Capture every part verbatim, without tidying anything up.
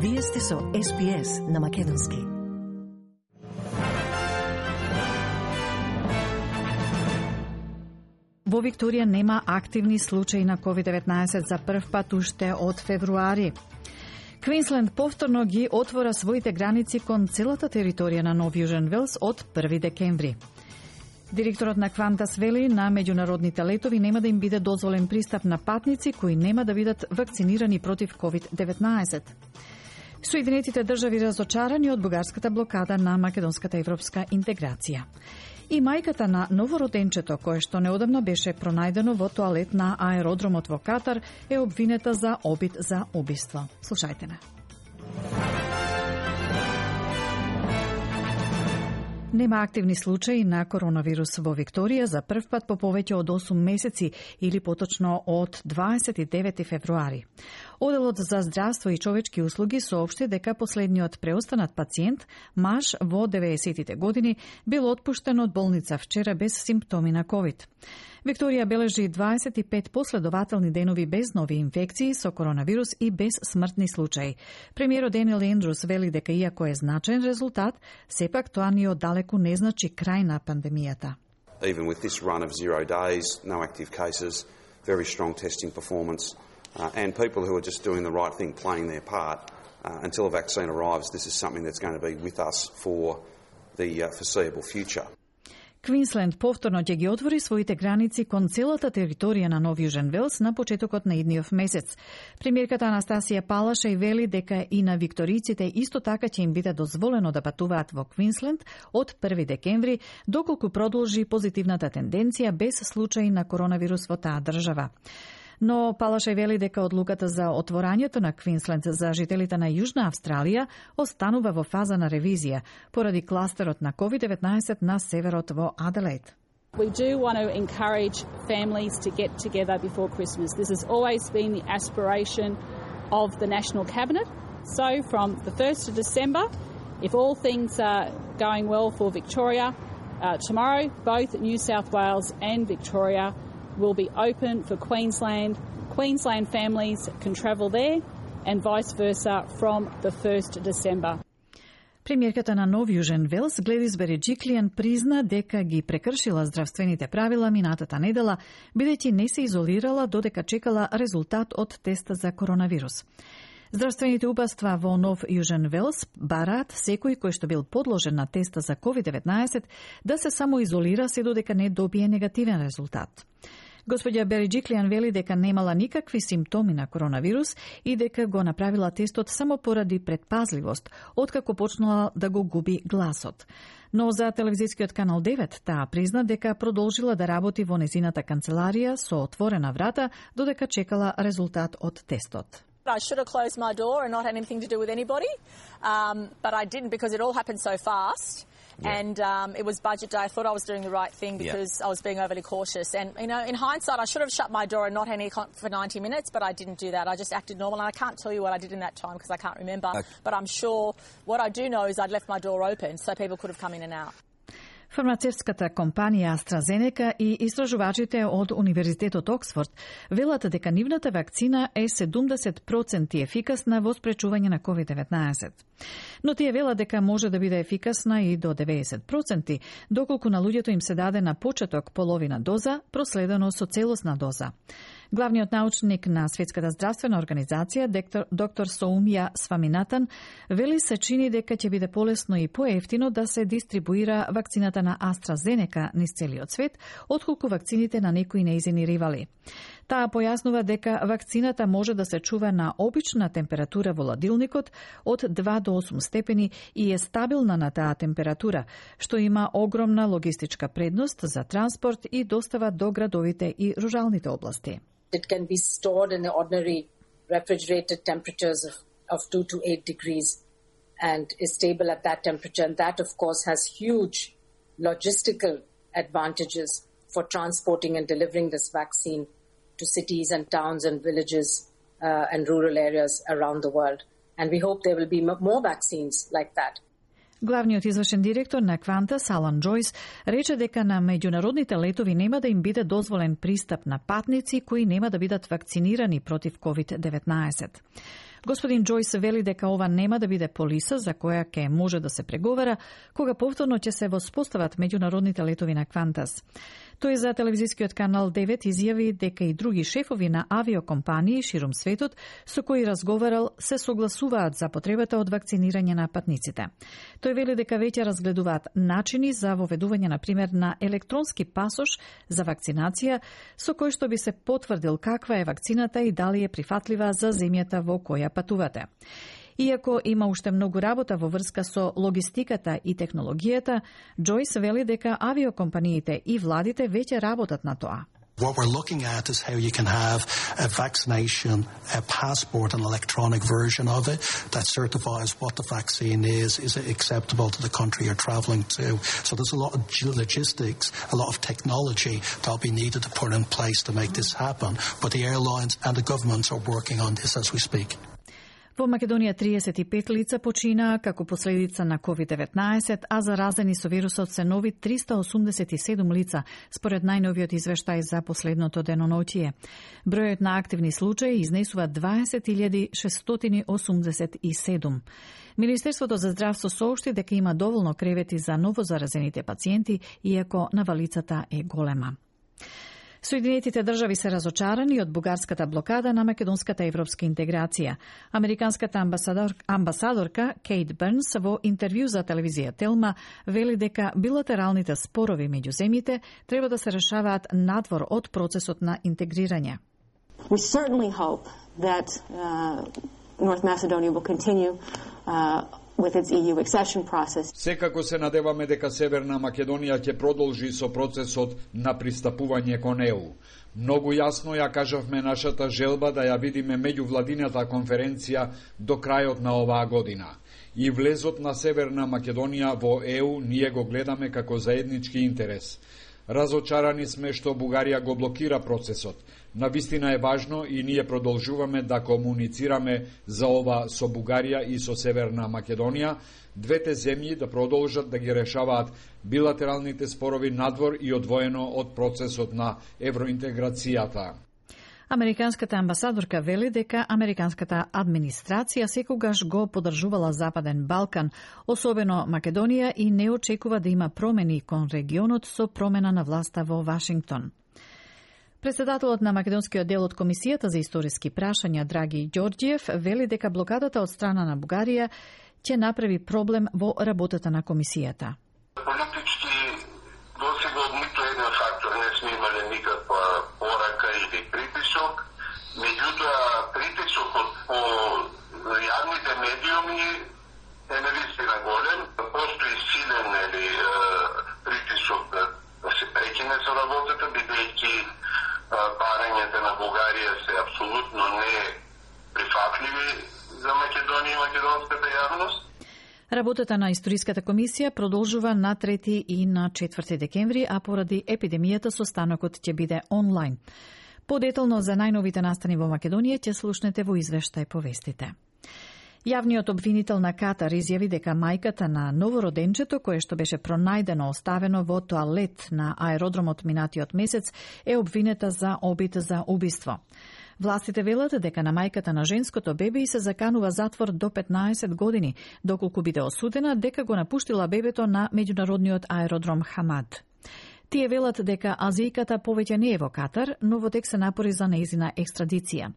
Вие сте со Ес Би Ес на Македонски. Во Викторија нема активни случаи на ковид деветнаесет за прв пат уште од февруари. Квинсленд повторно ги отвора своите граници кон целата територија на Нов Јужен Велс од први декември. Директорот на Квантас вели на меѓународните летови нема да им биде дозволен пристап на патници кои нема да бидат вакцинирани против ковид деветнаесет. Соединетите држави разочарани од бугарската блокада на македонската европска интеграција. И мајката на новороденчето, кое што неодамна беше пронајдено во тоалет на аеродромот во Катар, е обвинета за обид за убиство. Слушајте ме. Нема активни случаи на коронавирус во Викторија за прв пат по повеќе од осум месеци или поточно од дваесет и девети февруари. Оделот за здравство и човечки услуги соопшти дека последниот преостанат пациент, маж во деветдесетите години, бил отпуштен од болница вчера без симптоми на ковид. Викторија бележи дваесет и пет последователни денови без нови инфекции со коронавирус и без смртни случаи. Премиерот Денил Ендрус вели дека иако е значен резултат, сепак тоа ни оддалеку не значи крај на пандемијата. Even with this run of zero days, no active cases, very strong testing performance, uh, and people who are just doing the right thing, playing their part, uh, until a vaccine arrives, this is something that's going to be with us for the uh, foreseeable future. Квинсленд повторно ќе ги отвори своите граници кон целата територија на Нов Јужен Велс на почетокот на идниот месец. Премиерката Анастасија Палаша и вели дека и на викториците исто така ќе им биде дозволено да патуваат во Квинсленд од први декември, доколку продолжи позитивната тенденција без случаи на коронавирус во таа држава. Но Палаша вели дека одлуката за отворањето на Квинсленд за жителите на Јужна Австралија останува во фаза на ревизија поради кластерот на ковид деветнаесет на северот во Аделаид. We do want to encourage families to get together before Christmas. This has always been the aspiration of the National Cabinet. So from the first of December, if all things are going well for Victoria, uh, tomorrow both New South Wales and Victoria will be open for Queensland. Queensland families can travel there and vice versa from the first of December. Премиерката на Нов Јужен Велс, Гледис Береджиклијан, призна дека ги прекршила здравствените правила минатата недела, бидејќи не се изолирала додека чекала резултат од теста за коронавирус. Здравствените упатства во Нов Јужен Велс бараат секој кој што бил подложен на теста за ковид деветнаесет да се самоизолира се додека не добие негативен резултат. Господја Береджиклијан вели дека немала никакви симптоми на коронавирус и дека го направила тестот само поради предпазливост, откако почнала да го губи гласот. Но за телевизискиот канал девет таа призна дека продолжила да работи во незината канцеларија со отворена врата додека чекала резултат од тестот. I should have closed my door and not had anything to do with anybody, um, but I didn't because it all happened so fast. Yeah. And um, it was budget day. I thought I was doing the right thing because yeah. I was being overly cautious. And, you know, in hindsight, I should have shut my door and not had any con- for ninety minutes, but I didn't do that. I just acted normal. And I can't tell you what I did in that time because I can't remember. Okay. But I'm sure what I do know is I'd left my door open so people could have come in and out. Фармацевтската компанија AstraZeneca и истражувачите од Универзитетот Оксфорд велат дека нивната вакцина е седумдесет проценти ефикасна во спречување на ковид деветнаесет. Но тие велат дека може да биде ефикасна и до деветдесет проценти, доколку на луѓето им се даде на почеток половина доза, проследено со целосна доза. Главниот научник на Светската здравствена организација, доктор, доктор Соумија Сваминатан, вели се чини дека ќе биде полесно и поевтино да се дистрибуира вакцината на AstraZeneca низ целиот свет, отколку вакцините на некои неизини ривали. Таа појаснува дека вакцината може да се чува на обична температура во ладилникот од два до осум степени и е стабилна на таа температура, што има огромна логистичка предност за транспорт и достава до градовите и руралните области. It can be stored in the ordinary refrigerated temperatures of, of two to eight degrees and is stable at that temperature. And that, of course, has huge logistical advantages for transporting and delivering this vaccine to cities and towns and villages uh, and rural areas around the world. And we hope there will be more vaccines like that. Главниот извршен директор на Квантас, Алан Джойс, рече дека на меѓународните летови нема да им биде дозволен пристап на патници кои нема да бидат вакцинирани против ковид деветнаесет. Господин Џојс вели дека ова нема да биде полиса за која ќе може да се преговара кога повторно ќе се воспостават меѓународните летови на Квантас. Тој за телевизискиот канал девет изјави дека и други шефови на авиокомпании ширум светот со кои разговарал се согласуваат за потребата од вакцинирање на патниците. Тој вели дека веќе разгледуваат начини за воведување на пример на електронски пасош за вакцинација со кој што би се потврдил каква е вакцината и дали е прифатлива за земјата во која патувате. Иако има уште многу работа во врска со логистиката и технологијата, Џојс вели дека авиокомпаниите и владите веќе работат на тоа. What we're looking at is how you can have a vaccination a passport, an electronic version of it that certifies what the vaccine is, is it acceptable to the country you're travelling to. So there's a lot of logistics, a lot of technology that'll be needed to put in place to make this happen. But the airlines and the governments are working on this as we speak. Во Македонија триесет и пет лица починаа како последица на ковид деветнаесет, а заразени со вирусот се нови триста осумдесет и седум лица, според најновиот извештај за последното деноноќие. Бројот на активни случаи изнесува дваесет илјади шестстотини осумдесет и седум. Министерството за здравство соопшти дека има доволно кревети за новозаразените пациенти, иако навалицата е голема. Соединетите држави се разочарани од бугарската блокада на македонската европска интеграција. Американската амбасадор, амбасадорка Кейт Бернс во интервју за телевизија Телма вели дека билатералните спорови меѓу земјите треба да се решаваат надвор од процесот на интегрирање. We certainly hope that uh, North Macedonia will continue uh, with its E U accession process. Секако се надеваме дека Северна Македонија ќе продолжи со процесот на пристапување кон Е У. Многу јасно ја кажавме нашата желба да ја видиме меѓувладината конференција до крајот на оваа година. И влезот на Северна Македонија во Е У ние го гледаме како заеднички интерес. Разочарани сме што Бугарија го блокира процесот. Навистина е важно и ние продолжуваме да комуницираме за ова со Бугарија и со Северна Македонија, двете земји да продолжат да ги решаваат билатералните спорови надвор и одвоено од процесот на евроинтеграцијата. Американската амбасадорка вели дека американската администрација секогаш го поддржувала Западен Балкан, особено Македонија, и не очекува да има промени кон регионот со промена на власта во Вашингтон. Председателот на македонскиот дел од Комисијата за историски прашања Драги Ѓорѓиев вели дека блокадата од страна на Бугарија ќе направи проблем во работата на комисијата. Политички досега од нито еден фактор не сме имали никаква порака или притисок, меѓутоа притисокот по јавните медиуми е навистина голем. Постои силен или притисок да се прекине со работата, бидејќи барањата на Бугарија се апсолутно не прифатливи за Македонија и македонската јавност. Работата на Историската комисија продолжува на трети и на четврти декември, а поради епидемијата состанокот ќе биде онлайн. Подетално за најновите настани во Македонија ќе слушнете во извештај по вестите. Јавниот обвинител на Катар изјави дека мајката на новороденчето, кое што беше пронајдено оставено во тоалет на аеродромот минатиот месец, е обвинета за обид за убиство. Властите велат дека на мајката на женското бебе и се заканува затвор до петнаесет години, доколку биде осудена дека го напуштила бебето на меѓународниот аеродром Хамад. Тие велат дека азијката повеќе не е во Катар, но во тек се напори за нејзина екстрадиција.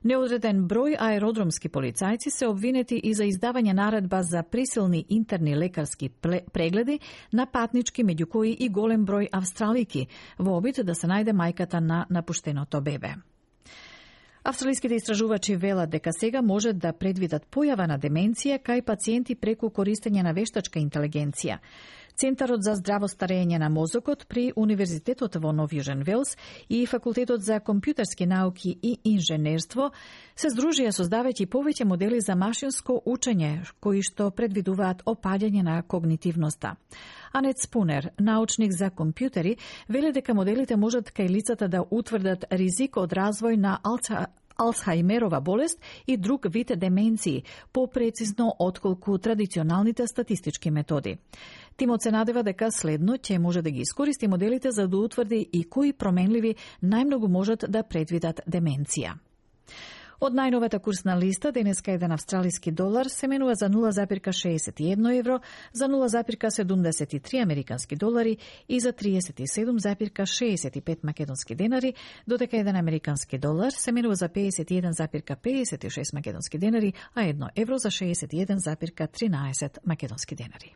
Неодреден број аеродромски полицајци се обвинети и за издавање наредба за присилни интерни лекарски прегледи на патнички, меѓу кои и голем број австралики, во обид да се најде мајката на напуштеното бебе. Австралиските истражувачи велат дека сега може да предвидат појава на деменција кај пациенти преку користење на вештачка интелигенција. Центарот за здраво старење на мозокот при Универзитетот во Нов Јужен Велс и Факултетот за компјутерски науки и инженерство се здружија создавајќи повеќе модели за машинско учење, кои што предвидуваат опаѓање на когнитивноста. Анет Спунер, научник за компјутери, вели дека моделите можат кај лицата да утврдат ризик од развој на алца Алцхајмерова болест и друг вид деменции, попрецизно отколку традиционалните статистички методи. Тимот се надева дека следно ќе може да ги искористи моделите за да утврди и кои променливи најмногу можат да предвидат деменција. Од најновата курсна листа, денеска еден австралиски долар се менува за нула запирка шеесет и едно евро, за нула запирка седумдесет и три американски долари и за триесет и седум запирка шеесет и пет македонски денари, додека еден американски долар се менува за пеесет и еден запирка пеесет и шест македонски денари, а едно евро за шеесет и еден запирка тринаесет македонски денари.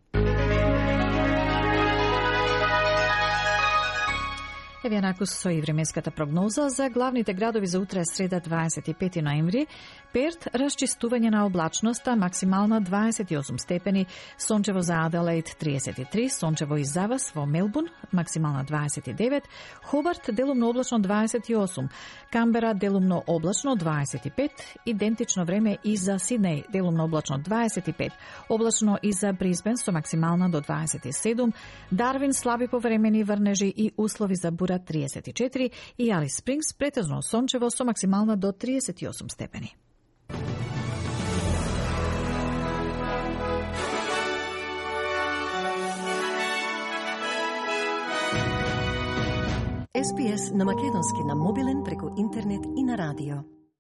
Еве накус со и временската прогноза за главните градови за утре среда дваесет и пети ноември. Перт, расчистување на облачноста, максимална дваесет и осум степени, сончево за Аделаид триесет и три, сончево и за вас во Мелбурн, максимална дваесет и девет, Хобарт делумно облачно дваесет и осум, Камбера делумно облачно дваесет и пет, идентично време и за Сиднеј делумно облачно дваесет и пет, облачно и за Брисбен со максимална до дваесет и седум, Дарвин слаби повремени врнежи и услови за бура триесет и четири и Алис Спрингс претежно сончево со максимална до триесет и осум степени. Ес Би Ес на македонски на мобилен преку интернет и на радио.